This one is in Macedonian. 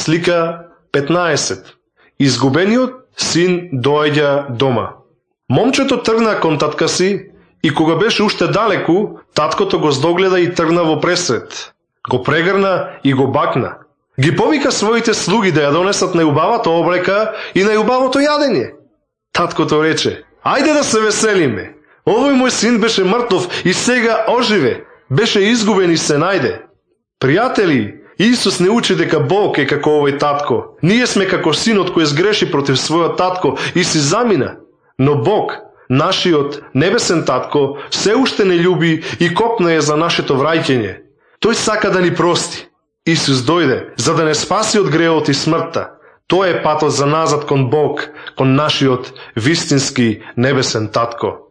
Слика 15. Изгубениот син доаѓа дома. Момчето тргна кон татка си и кога беше уште далеку, таткото го здогледа и тргна во пресред. Го прегрна и го бакна. Ги повика своите слуги да ја донесат најубавата облека и најубавото јадење. Таткото рече: ајде да се веселиме. Овој мој син беше мртов и сега оживе. Беше изгубен и се најде. Пријатели, Исус не учи дека Бог е како овој татко. Ние сме како синот кој сгреши против својот татко и си замина. Но Бог, нашиот небесен татко, се уште не љуби и копна е за нашето враќање. Тој сака да ни прости. Исус дојде за да не спаси од греот и смртта. Тоа е патот за назад кон Бог, кон нашиот вистински небесен татко.